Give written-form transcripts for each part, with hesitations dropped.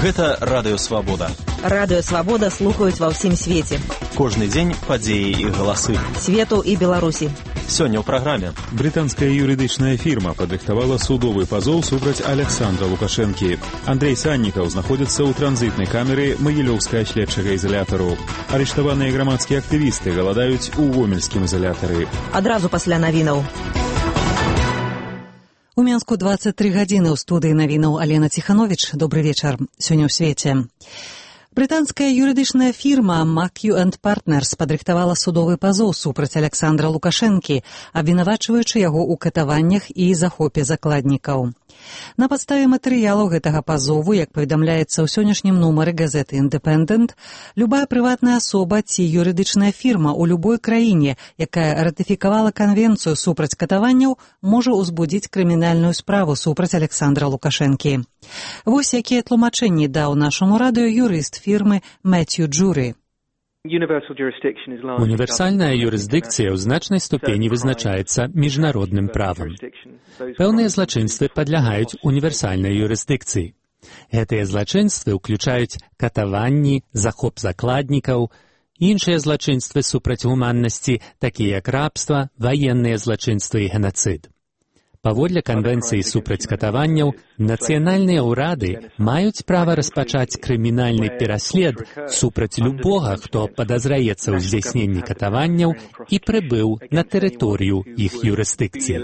Гэта Радыё Свабода. Радыё Свабода слухаюць ва ўсім свеце. Кожны дзень падзеі і галасы. Свету і Беларусі. Сёння ў праграме. Брытанская юрыдычная фірма падрыхтавала судовы пазоў супраць Александра Лукашэнкі. Андрей Саннікаў знаходзіцца ў транзітнай камеры Магілёўскага следчага ізалятару. Арыштаваныя грамадскія актывісты галадаюць у гомельскім ізалятары. Адразу пасля навінаў. У Менску 23 гадзіны ў студыі навінаў Алена Ціхановіч. Добры вечар. Сёння ў свеце. Брытанская юрыдычная фірма Mackiew & Partners падрыхтавала судовы пазоў супраць Александра Лукашэнкі, абвінавачваючы яго ў катаваннях і захопе закладнікаў. На падставе матэрыялаў гэтага пазову, як паведамляецца ў сённяшнім нумары газеты «Independent», любая прыватная асоба ці юрыдычная фірма ў любой краіне, якая ратыфікавала канвенцыю супраць катаванняў, можа ўзбудзіць крымінальную справу супраць Александра Лукашэнкі. Вось якія тлумачэнні даў нашаму радыё юрыст фірмы Мэцью Джуры. Універсальная юрысдыкцыя ў значнай ступені вызначаецца міжнародным правам. Пэўныя злачынствы падлягаюць універсальнай юрысдыкцыі. Гэтыя злачынствы ўключаюць катаванні, захоп закладнікаў, іншыя злачынствы супраць гуманнасці, такія як рабства, ваенныя злачынствы і генацыд. Паводле канвенцыі супраць катаванняў, нацыянальныя ўрады маюць права распачаць крымінальны пераслед супраць любога, хто падазраецца ў здзяйсненні катаванняў і прыбыў на тэрыторыю іх юрысдыкцыі.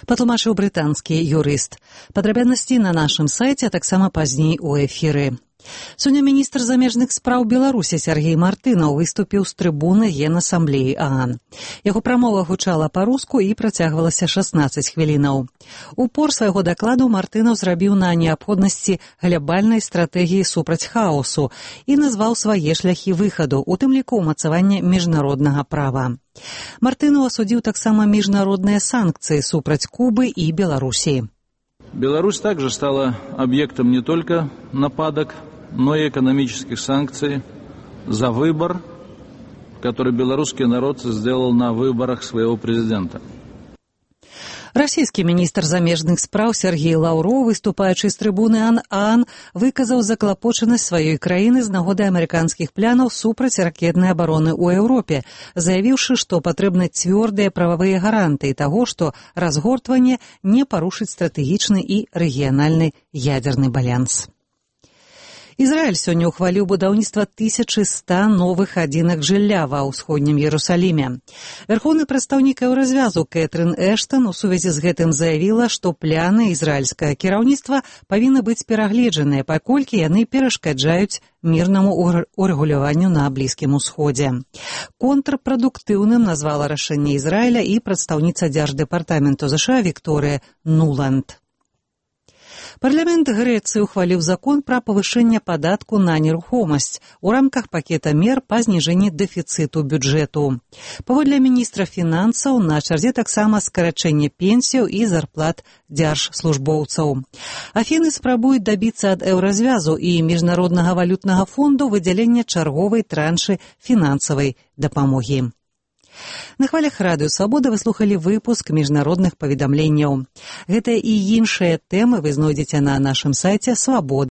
Патлумачыў брытанскі юрыст. Падрабязнасці на нашым сайце, а таксама пазней у эфіры. Сёння міністр замежных спраў Беларусі Сергей Мартынаў выступіў з трыбуны Генасамблеі ААН. Яго прамова гучала па-руску і працягвалася 16 хвілінаў. Упор свайго дакладу Мартынаў зрабіў на неабходнасці глябальнай стратэгіі супраць хаосу і назваў свае шляхі выхаду, у тым ліку ўмацавання міжнароднага права. Мартынаў асудзіў таксама міжнародныя санкцыі супраць Кубы і Беларусі. Беларусь также стала объектом не только нападок, но и экономических санкций за выбор, который белорусский народ сделал на выборах своего президента. Расійскі міністр замежных спраў Сергей Лаўроў, выступаючы з трыбуны ААН, выказаў заклапочанасць сваёй краіны з нагоды амерыканскіх планаў супраць ракетнай абароны ў Еўропе, заявіўшы, што патрэбны цвёрдыя прававыя гарантыі таго, што разгортванне не парушыць стратэгічны і рэгіянальны ядзерны баланс. Ізраіль сёння ўхваліў будаўніцтва 1100 новых адзінак жылля ва ўсходнім Ерусаліме. Вярхоўны прадстаўнік Еўразвязу Кэтрын Эштан у сувязі з гэтым заявіла, што пляны ізраільскага кіраўніцтва павінны быць перагледжаныя, паколькі яны перашкаджаюць мірнаму урэгуляванню на Блізкім усходзе. Контрпрадуктыўным назвала рашэнне Ізраіля і прадстаўніца дзярждэпартаменту ЗША Вікторыя Нуланд. Парламент Грэцыі ухваліў закон пра павышэнне падатку на нерухомасць у рамках пакета мер па зніжэнні дэфіцыту бюджэту. Паводле міністра фінансаў на чарзе таксама скарачэнне пенсіяў і зарплат дзяржслужбоўцаў. Афіны спрабуюць дабіцца ад Еўразвязу і Міжнароднага валютнага фонду выдзялення чарговай траншы фінансавай дапамогі. На хвалях Радыё Свабода вы слухалі выпуск міжнародных паведамленняў. Гэта і іншыя тэмы вы знойдзеце на нашым сайце Свабода.